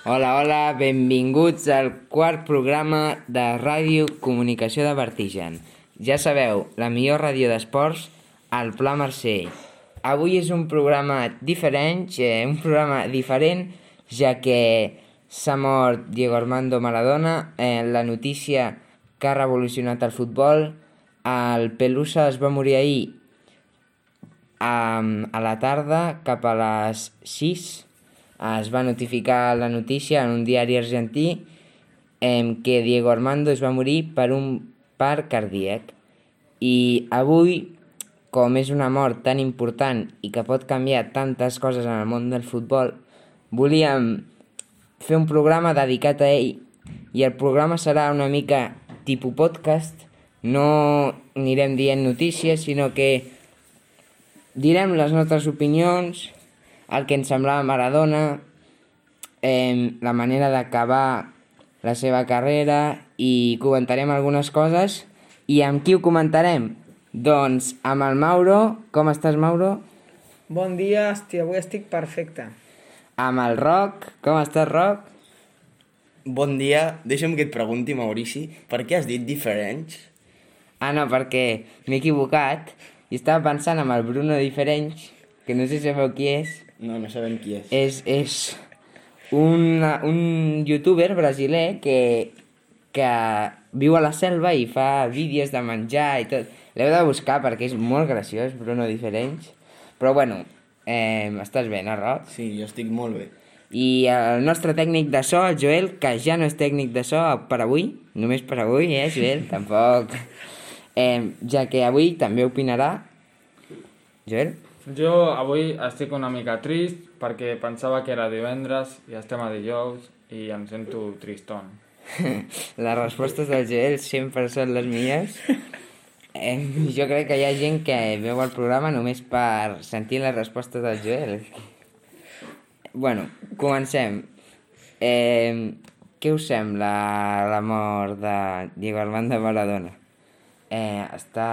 Hola, hola, benvinguts al quart programa de Ràdio Comunicació de Vertigen. Ja sabeu, la millor ràdio d'esports al Pla Mercè. Avui és un programa diferent, ja que s'ha mort Diego Armando Maradona, la notícia que ha revolucionat el futbol. El Pelusa es va morir ahir a la tarda, cap a les 6. Es va notificar la notícia en un diari argentí que Diego Armando es va morir per un part cardíac. I avui, com és una mort tan important i que pot canviar tantes coses en el món del futbol, volíem fer un programa dedicat a ell. I el programa serà una mica tipus podcast. No anirem dient notícies, sinó que direm les nostres opinions, el que ens semblava Maradona, la manera d'acabar la seva carrera, i comentarem algunes coses. I amb qui ho comentarem? Doncs amb el Mauro. Com estàs, Mauro? Bon dia, avui estic perfecte. Amb el Roc. Com estàs, Roc? Bon dia. Deixa'm que et pregunti, Maurici, per què has dit diferents? Ah, no, perquè m'he equivocat i estava pensant en el Bruno Diferents, que no sé si sabeu qui és. No sabem qui és. És un youtuber brasiler que viu a la selva i fa vídeos de menjar i tot. L'heu de buscar perquè és molt graciós, Bruno Diferents. Però bueno, estàs bé, no, Roc? Sí, jo estic molt bé. I el nostre tècnic de so, el Joel, que ja no és tècnic de so per avui, només per avui, Joel? Tampoc. Ja que avui també opinarà. Joel? Jo avui estic una mica trist perquè pensava que era divendres i estem a dijous i em sento triston. Les respostes del Joel sempre són les millors. Jo crec que hi ha gent que veu el programa només per sentir les respostes del Joel. Bueno, comencem. Què us sembla la mort de Diego Armando Maradona? Està,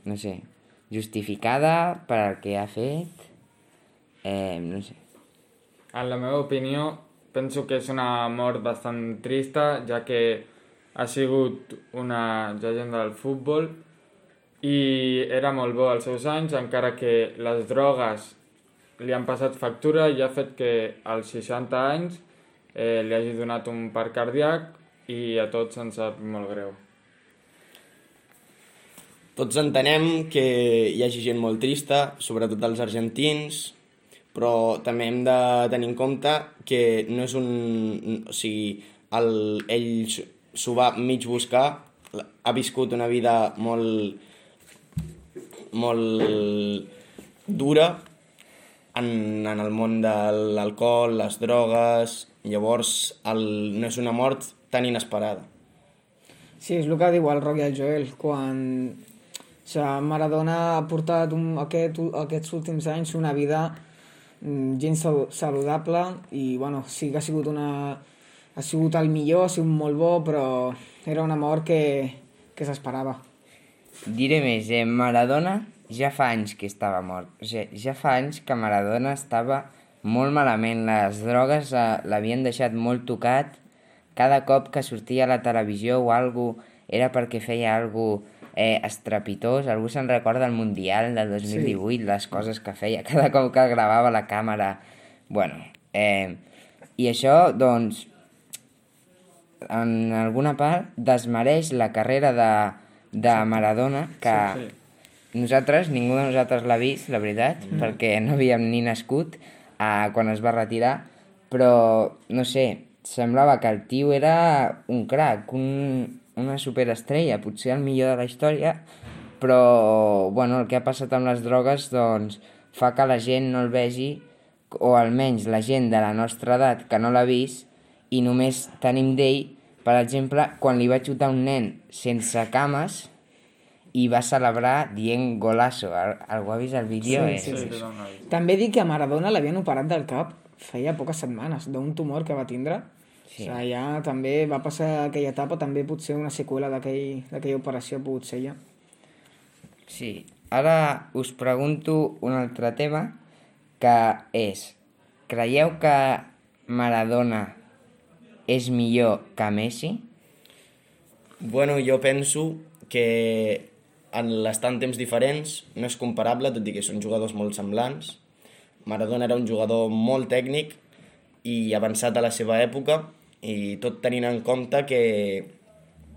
no sé, justificada per al que ha fet? No sé. En la meva opinió, penso que és una mort bastant trista, ja que ha sigut una llegenda del futbol i era molt bo als seus anys, encara que les drogues li han passat factura i ha fet que als 60 anys li hagi donat un part cardíac i a tots ens sap molt greu. Tots entenem que hi hagi gent molt trista, sobretot els argentins, però també hem de tenir en compte que no és un... O sigui, ell s'ho va mig buscar, ha viscut una vida molt dura en el món de l'alcohol, les drogues. Llavors no és una mort tan inesperada. Sí, és el que diu el Roc i el Joel. Quan Maradona ha portat aquests últims anys una vida gens saludable i bueno, sí que ha sigut el millor, ha sigut molt bo, però era una mort que s'esperava. Diré més, Maradona ja fa anys que estava mort. O sigui, ja fa anys que Maradona estava molt malament. Les drogues l'havien deixat molt tocat. Cada cop que sortia a la televisió o alguna cosa era perquè feia alguna cosa estrepitós. Algú se'n recorda del Mundial del 2018, sí. Les coses que feia cada cop que gravava la càmera. Bueno, i això, doncs, en alguna part desmereix la carrera de Maradona, que nosaltres, ningú de nosaltres l'ha vist, la veritat, perquè no havíem ni nascut quan es va retirar, però, no sé, semblava que el tio era un crac, una superestrella, potser el millor de la història, però bueno, el que ha passat amb les drogues doncs, fa que la gent no el vegi, o almenys la gent de la nostra edat que no l'ha vist, i només tenim d'ell, per exemple, quan li va xutar un nen sense cames i va celebrar dient golazo. Algú ha vist el vídeo? Sí. També dic que a Maradona l'havien operat del cap feia poques setmanes, d'un tumor que va tindre. Sí. O sigui, ja també va passar aquella etapa, també potser una seqüela d'aquella operació ha pogut ser ja. Sí. Ara us pregunto un altre tema, que és: creieu que Maradona és millor que Messi? Bueno, jo penso que en l'estar en temps diferents no és comparable, tot i que són jugadors molt semblants. Maradona era un jugador molt tècnic i avançat a la seva època, i tot tenint en compte que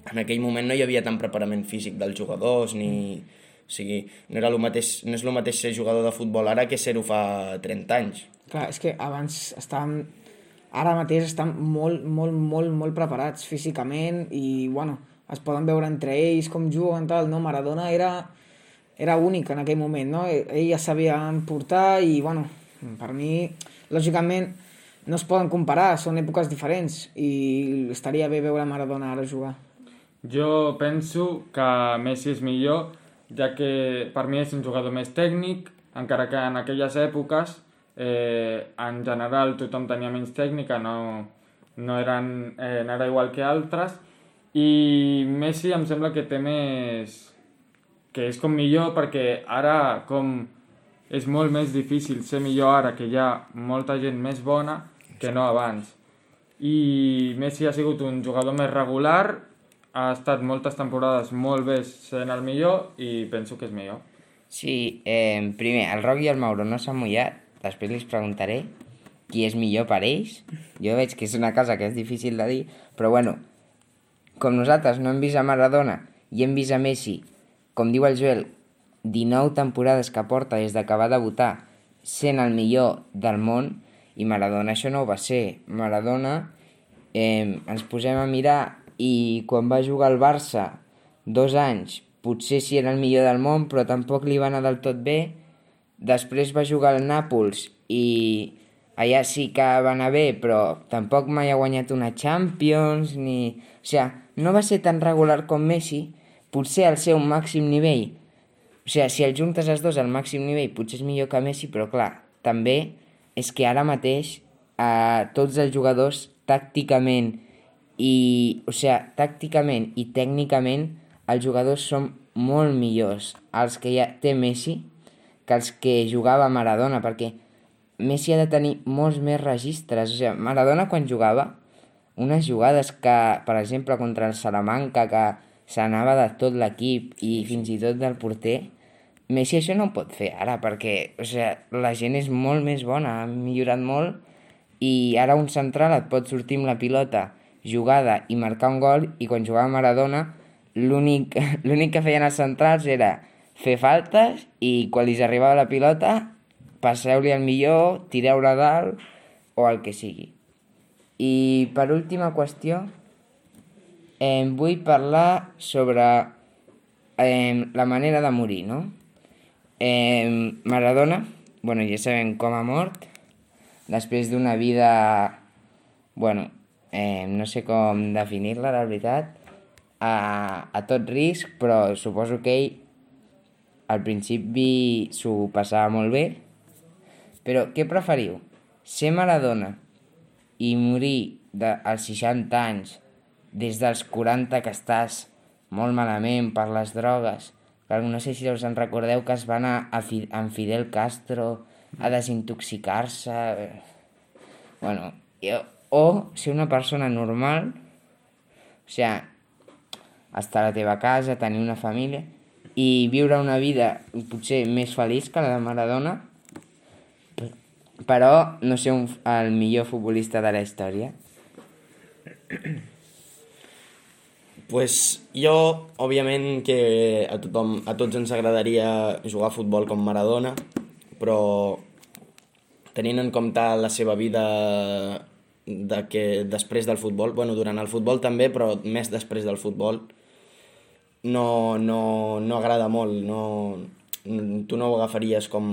en aquell moment no hi havia tant preparament físic dels jugadors, o sigui, no és el mateix ser jugador de futbol ara que ser-ho fa 30 anys. Clar, és que abans estàvem... Ara mateix estan molt preparats físicament i, bueno, es poden veure entre ells com juguen, tal, no? Maradona era únic en aquell moment, no? Ell ja sabia portar i, bueno, per mi, lògicament, no es poden comparar, són èpoques diferents i estaria bé veure Maradona ara jugar. Jo penso que Messi és millor, ja que per mi és un jugador més tècnic, encara que en aquelles èpoques en general tothom tenia menys tècnica, no era igual que altres, i Messi em sembla que té més... que és com millor, perquè ara com és molt més difícil ser millor ara que hi ha molta gent més bona que no abans. I Messi ha sigut un jugador més regular, ha estat moltes temporades molt bé sent el millor i penso que és millor. Sí, primer, el Roc i el Mauro no s'han mullat, després els preguntaré qui és millor per ells. Jo veig que és una cosa que és difícil de dir, però bueno, com nosaltres no hem vist a Maradona i hem vist a Messi, com diu el Joel, 19 temporades que porta des que va debutar sent el millor del món, i Maradona això no ho va ser. Maradona, ens posem a mirar, i quan va jugar al Barça 2 anys, potser sí era el millor del món, però tampoc li va anar del tot bé. Després va jugar al Nàpols i allà sí que va anar bé, però tampoc mai ha guanyat una Champions, ni... O sigui, no va ser tan regular com Messi, potser al seu màxim nivell. O sigui, si el juntes els dos al màxim nivell, potser és millor que Messi, però clar, també és que ara mateix tots els jugadors tàcticament i tècnicament els jugadors són molt millors els que ja té Messi que els que jugava Maradona, perquè Messi ha de tenir molts més registres. O sigui, Maradona quan jugava, unes jugades que, per exemple, contra el Salamanca, que s'anava de tot l'equip i fins i tot del porter, Messi això no ho pot fer ara, perquè la gent és molt més bona, ha millorat molt, i ara un central et pot sortir amb la pilota jugada i marcar un gol, i quan jugava Maradona l'únic que feien els centrals era fer faltes i quan li arribava la pilota passeu-li al millor, tireu-la dalt o el que sigui. I per última qüestió vull parlar sobre la manera de morir, no? Maradona, ja sabem com ha mort, després d'una vida, no sé com definir-la, la veritat, a tot risc, però suposo que ell al principi s'ho passava molt bé. Però què preferiu? Ser Maradona i morir als 60 anys, des dels 40 que estàs molt malament per les drogues, que no sé si us en recordeu que es va anar amb Fidel Castro a desintoxicar-se, o ser una persona normal, o sigui, estar a la teva casa, tenir una família i viure una vida potser més feliç que la de Maradona, però no ser el millor futbolista de la història. Pues jo, òbviament que a tots ens agradaria jugar a futbol com Maradona, però tenint en compte la seva vida després del futbol, durant el futbol també, però més després del futbol, no agrada molt, tu no ho agafaries com...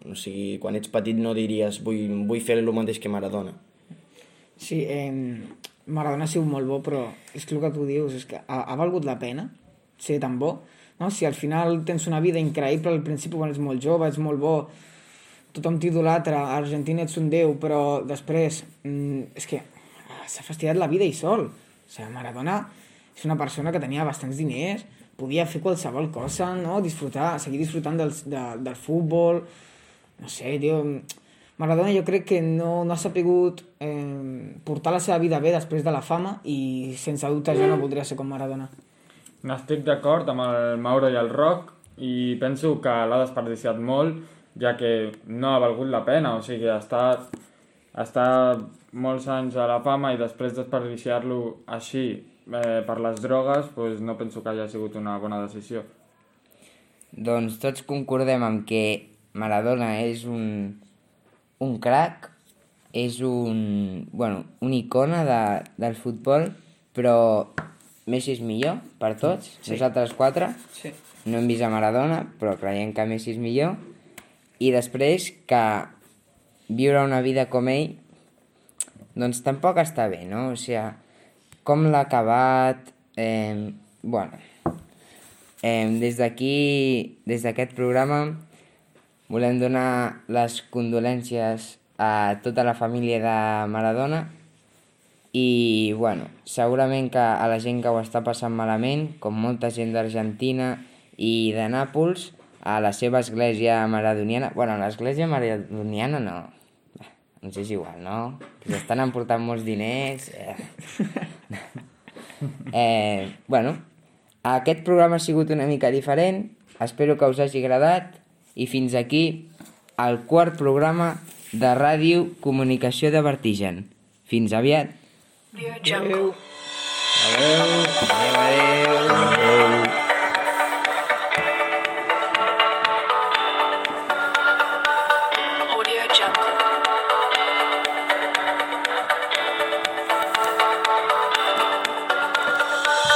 O sigui, quan ets petit no diries vull fer el mateix que Maradona. Sí, Maradona ha sigut molt bo, però és que el que tu dius és que ha valgut la pena ser tan bo, no? Si al final tens una vida increïble, al principi quan ets molt jove, ets molt bo, tothom t'idolatra, a Argentina ets un déu, però després és que s'ha fastidiat la vida ell sol. O sigui, Maradona és una persona que tenia bastants diners, podia fer qualsevol cosa, no? Seguir disfrutant del futbol, no sé, tio, Maradona jo crec que no ha sapigut portar la seva vida bé després de la fama i sense dubte jo no voldria ser com Maradona. N'estic d'acord amb el Mauro i el Roc i penso que l'ha desperdiciat molt, ja que no ha valgut la pena, o sigui, estar molts anys a la fama i després desperdiciar-lo així per les drogues, doncs no penso que hagi sigut una bona decisió. Doncs tots concordem amb que Maradona és un crac, és una icona del futbol, però Messi és millor per tots, sí. Nosaltres 4 sí. No hem vist a Maradona, però creiem que Messi és millor, i després que viure una vida com ell doncs tampoc està bé, no? O sigui, com l'ha acabat, des d'aquí, des d'aquest programa, volem donar les condolències a tota la família de Maradona i, segurament que a la gent que ho està passant malament, com molta gent d'Argentina i de Nàpols, a la seva església maradoniana... l'església maradoniana no, ens és igual, no? Que estan emportant molts diners... Aquest programa ha sigut una mica diferent, espero que us hagi agradat i fins aquí el 4è programa de Ràdio Comunicació de Vertigen. Fins aviat! Adéu. Adéu. Adéu.